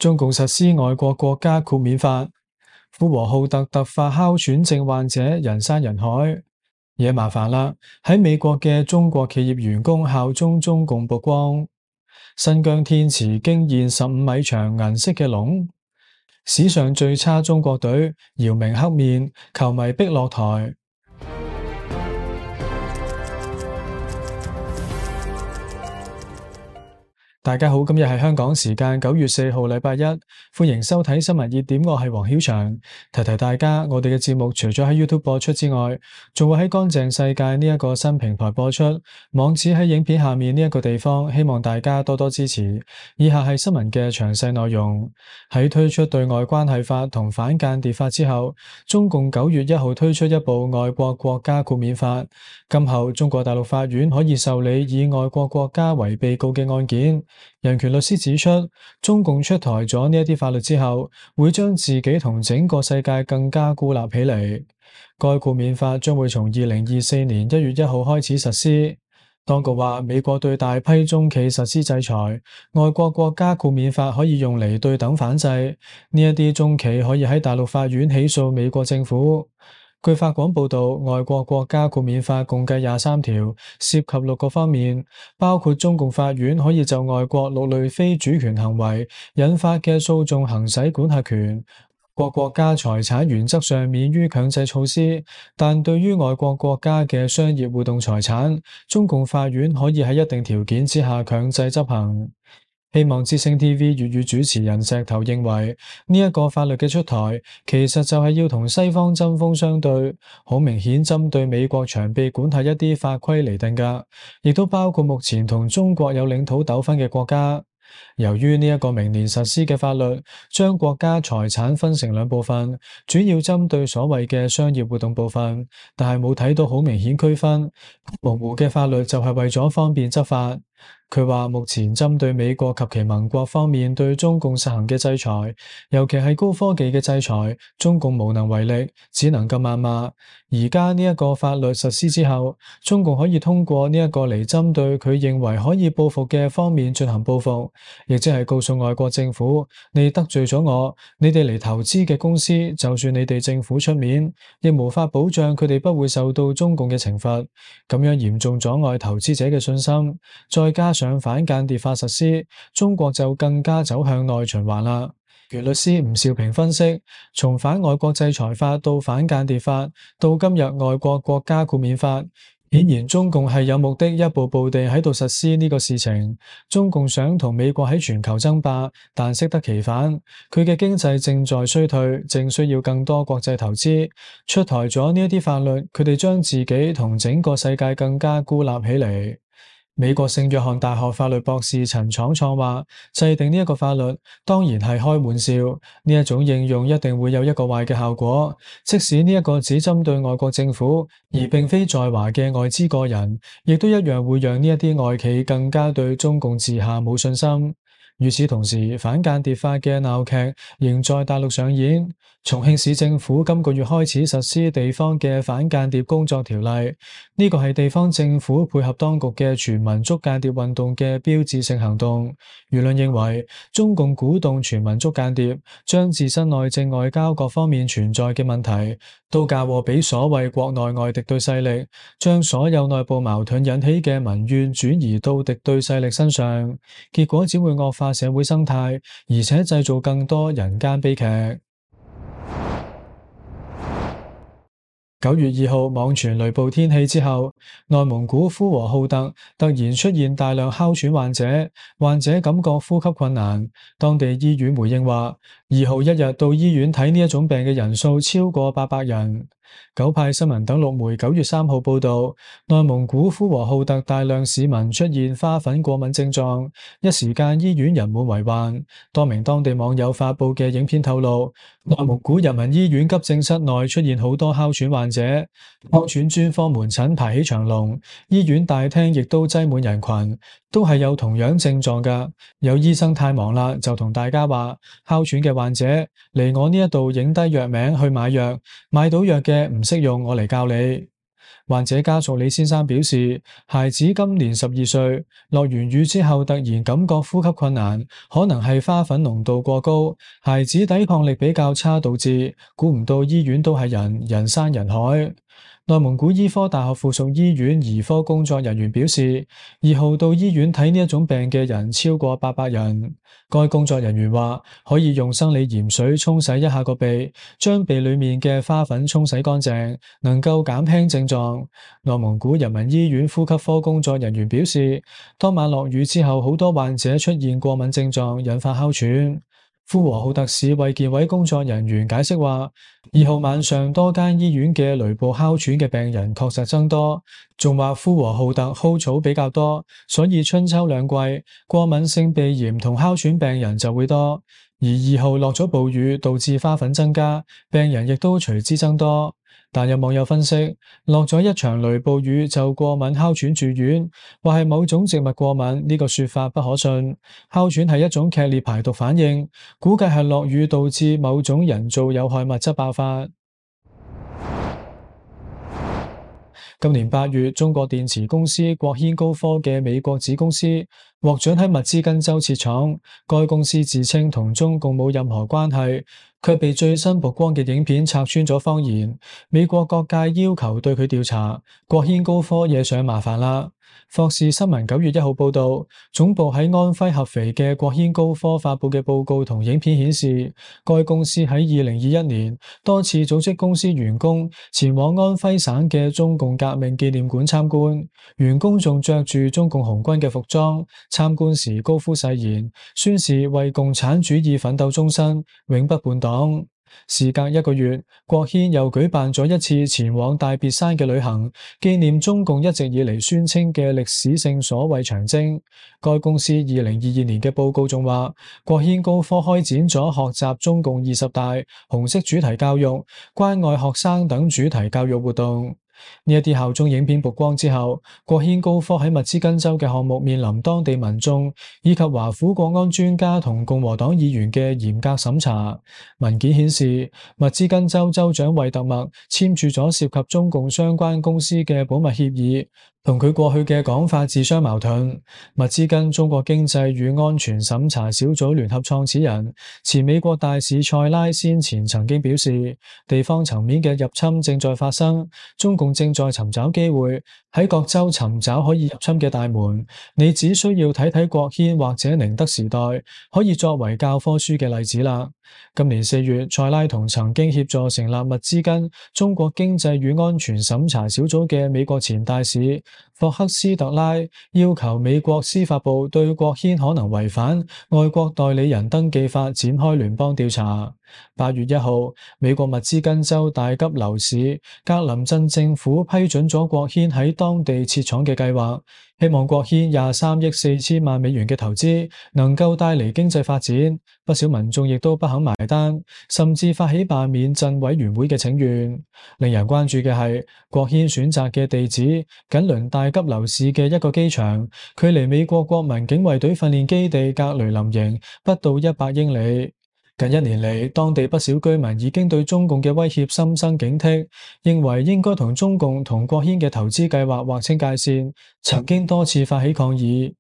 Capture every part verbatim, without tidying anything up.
中共實施外國國家豁免法，呼和浩特突發哮喘症患者人山人海，惹麻煩啦！喺美國嘅中國企業員工效忠中共曝光，新疆天池驚現十五米長銀色嘅龍，史上最差中國隊姚明黑面，球迷逼落台。大家好，今日係香港時間九月四號禮拜一，歡迎收睇新聞熱點，我係黃曉翔。提提大家，我哋嘅節目除咗喺 YouTube 播出之外，仲會喺乾淨世界呢一個新平台播出，網址喺影片下面呢一個地方，希望大家多多支持。以下係新聞嘅詳細內容。喺推出對外關係法同反間諜法之後，中共九月一號推出一部外國國家豁免法，今後中國大陸法院可以受理以外國國家為被告嘅案件。人權律師指出，中共出台咗呢一啲法律之後，會將自己同整個世界更加孤立起嚟。該豁免法將會從二零二四年一月一號開始實施。當局話，美國對大批中企實施制裁，外國國家豁免法可以用嚟對等反制。呢一啲中企可以喺大陸法院起訴美國政府。據法廣報道，外國國家豁免法共計廿三條，涉及六個方面，包括中共法院可以就外國六類非主權行為引發嘅訴訟行使管轄權。各國家財產原則上免於強制措施，但對於外國國家嘅商業活動財產，中共法院可以喺一定條件之下強制執行。希望之聲 T V 粵語主持人石頭認為，呢一個法律嘅出台，其實就係要同西方針鋒相對，好明顯針對美國長臂管轄一啲法規嚟定㗎，亦都包括目前同中國有領土糾紛嘅國家。由於呢一個明年實施嘅法律，將國家財產分成兩部分，主要針對所謂嘅商業活動部分，但係冇睇到好明顯區分，模糊嘅法律就係為咗方便執法。佢話目前針對美國及其盟國方面對中共實行嘅制裁，尤其係高科技嘅制裁，中共無能為力，只能夠謾罵。而家呢一個法律實施之後，中共可以通過呢一個嚟針對佢認為可以報復嘅方面進行報復，亦即係告訴外國政府，你得罪咗我，你哋嚟投資嘅公司，就算你哋政府出面，亦無法保障佢哋不會受到中共嘅懲罰，咁樣嚴重阻礙投資者嘅信心。再加上反間諜法實施，中國就更加走向內循環啦。原律師吳兆平分析，從反外國制裁法到反間諜法，到今日外國國家豁免法，顯然中共係有目的一步步地喺度實施呢個事情。中共想同美國喺全球爭霸，但適得其反，佢嘅經濟正在衰退，正需要更多國際投資。出台咗呢一啲法律，佢哋將自己同整個世界更加孤立起嚟。美國聖約翰大學法律博士陳闖創話，制定呢一個法律當然係開玩笑，呢一種應用一定會有一個壞嘅效果。即使呢一個只針對外國政府，而並非在華嘅外資個人，亦都一樣會讓呢一啲外企更加對中共治下冇信心。與此同時，反間諜法嘅鬧劇仍在大陸上演。重慶市政府今個月開始實施地方嘅反間諜工作條例，呢個係地方政府配合當局嘅全民捉間諜運動嘅標誌性行動。輿論認為，中共鼓動全民捉間諜，將自身內政外交各方面存在嘅問題都嫁禍俾所謂國內外敵對勢力，將所有內部矛盾引起嘅民怨轉移到敵對勢力身上，結果只會惡化社會生態，而且製造更多人間悲劇。九月二號網傳雷暴天氣之後，內蒙古呼和浩特突然出現大量哮喘患者，患者感覺呼吸困難。當地醫院回應話，二號一日到醫院睇呢一種病嘅人數超過八百人。九派新聞等六媒九月三號報道，內蒙古呼和浩特大量市民出現花粉過敏症狀，一時間醫院人滿為患。多名當地網友發布嘅影片透露，內蒙古人民醫院急症室內出現好多哮喘患者，哮喘專科門診排起長龍，醫院大廳亦都擠滿人群，都係有同樣症狀㗎。有醫生太忙啦，就同大家話，哮喘嘅患者嚟我呢一度影低藥名去買藥，買到藥嘅唔識用，我嚟教你。患者家屬李先生表示，孩子今年十二歲，落完雨之後突然感覺呼吸困難，可能係花粉濃度過高，孩子抵抗力比較差導致，估唔到醫院都係人，人山人海。內蒙古醫科大學附屬醫院兒科工作人員表示，二號到醫院睇呢一種病嘅人超過八百人。該工作人員話，可以用生理鹽水沖洗一下個鼻，將鼻裏面嘅花粉沖洗乾淨，能夠減輕症狀。內蒙古人民醫院呼吸科工作人員表示，當晚落雨之後，好多患者出現過敏症狀，引發哮喘。呼和浩特市衛健委工作人員解釋話，二號晚上多間醫院嘅雷暴哮喘嘅病人確實增多，仲話呼和浩特蒿草比較多，所以春秋兩季過敏性鼻炎同哮喘病人就會多。而二號落咗暴雨，導致花粉增加，病人亦都隨之增多。但有網友分析，落咗一場雷暴雨就過敏哮喘住院，話係某種植物過敏，呢個說法不可信。哮喘係一種劇烈排毒反應，估計係落雨導致某種人造有害物質爆發。今年八月，中國電池公司國軒高科嘅美國子公司獲准喺密茲根州設廠，該公司自稱同中共冇任何關係，卻被最新曝光嘅影片拆穿咗謊言。美國各界要求對佢調查，國軒高科惹上麻煩啦。霍士新聞九月一號報道，總部喺安徽合肥嘅國軒高科發佈嘅報告同影片顯示，該公司喺二零二一年多次組織公司員工前往安徽省嘅中共革命紀念館參觀，員工仲着住中共紅軍嘅服裝，參觀時高呼誓言，宣示為共產主義奮鬥終身，永不叛黨。事隔一個月，國軒又舉辦咗一次前往大別山嘅旅行，紀念中共一直以嚟宣稱嘅歷史性所謂長征。該公司二零二二年嘅報告仲話，國軒高科開展咗學習中共二十大、紅色主題教育、關愛學生等主題教育活動。呢一啲效忠影片曝光之後，國軒高科喺密茲根州嘅項目面臨當地民眾以及華府國安專家同共和黨議員嘅嚴格審查。文件顯示，密茲根州州長惠特默簽署咗涉及中共相關公司嘅保密協議，同佢過去嘅講法自相矛盾。密茲根中國經濟與安全審查小組聯合創始人、前美國大使塞拉先前曾經表示，地方層面嘅入侵正在發生，中共正在尋找機會喺各州尋找可以入侵嘅大門。你只需要睇睇國軒或者寧德時代，可以作為教科書嘅例子啦。今年四月，塞拉同曾經協助成立密茲根中國經濟與安全審查小組嘅美國前大使霍克斯特拉要求美國司法部對國軒可能違反外國代理人登記法展開聯邦調查。八月一號，美國密茲根州大吉樓市格林鎮政府批准咗國軒喺當地設廠嘅計劃，希望國軒廿三億四千萬美元嘅投資能夠帶嚟經濟發展。不少民眾亦都不肯埋單，甚至發起罷免鎮委員會嘅請願。令人關注嘅係，國軒選擇嘅地址緊鄰大吉樓市嘅一個機場，距離美國國民警衛隊訓練基地格雷林營不到一百英里。近一年嚟，當地不少居民已經對中共嘅威脅心生警惕，認為應該同中共同國軒嘅投資計劃劃清界線，曾經多次發起抗議。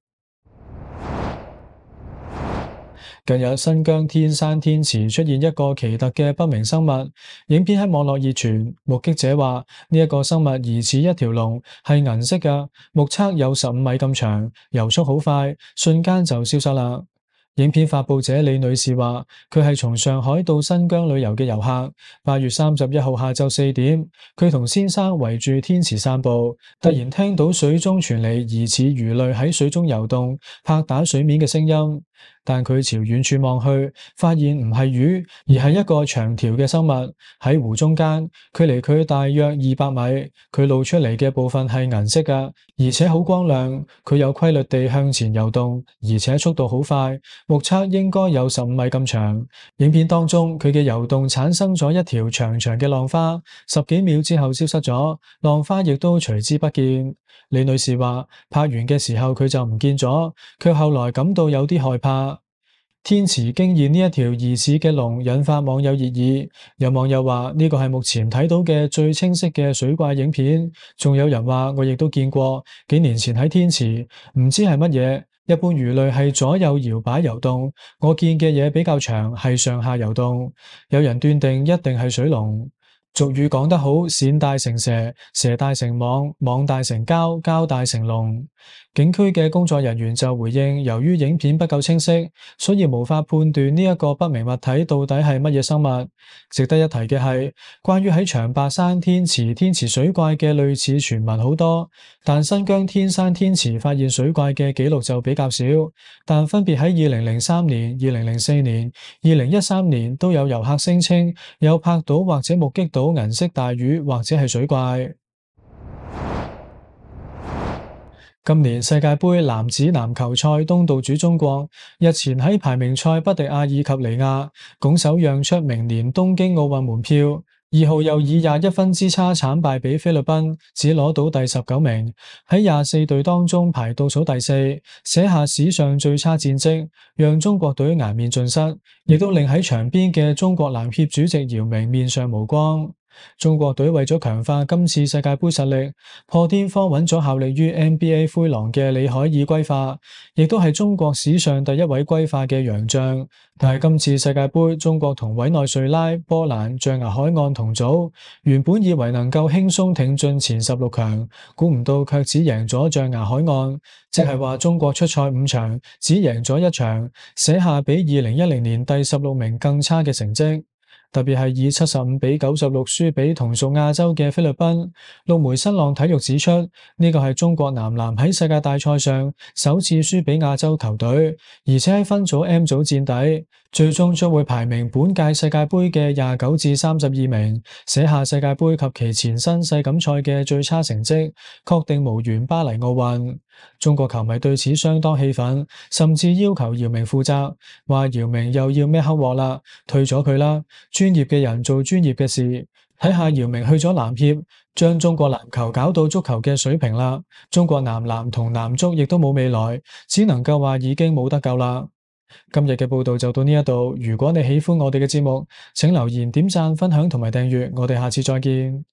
近日，新疆天山天池出現一個奇特嘅不明生物，影片喺網絡熱傳。目擊者話，呢一個生物疑似一條龍，係銀色嘅，目測有十五米咁長，游速好快，瞬間就消失啦。影片發佈者李女士話，佢係從上海到新疆旅遊嘅遊客。八月三十一號下晝四點，佢同先生圍住天池散步，突然聽到水中傳嚟疑似魚類喺水中游動、拍打水面嘅聲音。但佢朝遠處望去，發現唔係魚，而係一個長條嘅生物喺湖中間，距離佢大約二百米。佢露出嚟嘅部分係銀色嘅，而且好光亮。佢有規律地向前游動，而且速度好快，目測應該有十五米咁長。影片當中，佢嘅游動產生咗一條長長嘅浪花，十幾秒之後消失咗，浪花亦都隨之不見。李女士話，拍完嘅時候佢就唔見咗，卻後來感到有啲害怕。天池驚現呢一條疑似嘅龍引發網友熱議，有網友話呢個係目前睇到嘅最清晰嘅水怪影片，仲有人話我亦都見過，幾年前喺天池，唔知係乜嘢。一般魚類係左右搖擺游動，我見嘅嘢比較長，係上下游動。有人斷定一定係水龍。俗語講得好，鱔大成蛇，蛇大成網，網大成交，交大成龍。景區嘅工作人員就回應，由於影片不夠清晰，所以無法判斷呢一個不明物體到底係乜嘢生物。值得一提嘅係，關於喺長白山天池天池水怪嘅類似傳聞好多，但新疆天山天池發現水怪嘅記錄就比較少。但分別喺二零零三年、二零零四年、二零一三年都有遊客聲稱有拍到或者目擊到銀色大魚或者係水怪。今年世界盃男子籃球賽東道主中國日前喺排名賽不敵阿爾及利亞，拱手讓出明年東京奧運門票。二號又以廿一分之差慘敗俾菲律賓，只攞到第十九名，喺廿四隊當中排倒數第四，寫下史上最差戰績，讓中國隊顏面盡失，亦都令喺場邊嘅中國籃協主席姚明面上無光。中國隊為咗強化今次世界盃實力，破天荒揾咗效力於 N B A 灰狼嘅李海爾歸化，亦都係中國史上第一位歸化嘅洋將。但係今次世界盃，中國同委內瑞拉、波蘭、象牙海岸同組，原本以為能夠輕鬆挺進前十六強，估唔到卻只贏咗象牙海岸，即係話中國出賽五場，只贏咗一場，寫下比二零一零年第十六名更差嘅成績。特別係以七十五比九十六輸俾同屬亞洲嘅菲律賓。陸媒新浪體育指出，呢個係中國男籃喺世界大賽上首次輸俾亞洲球隊，而且喺分組 M 組墊底，最終將會排名本屆世界盃嘅廿九至三十二名，寫下世界盃及其前身世錦賽嘅最差成績，確定無緣巴黎奧運。中國球迷對此相當氣憤，甚至要求姚明負責，話姚明又要孭黑鑊啦，退咗佢啦，專業嘅人做專業嘅事。睇下姚明去咗籃協，將中國籃球搞到足球嘅水平啦，中國男籃同男足亦都冇未來，只能夠話已經冇得救啦。今日嘅報道就到呢一度，如果你喜歡我哋嘅節目，請留言、點讚、分享同埋訂閱，我哋下次再見。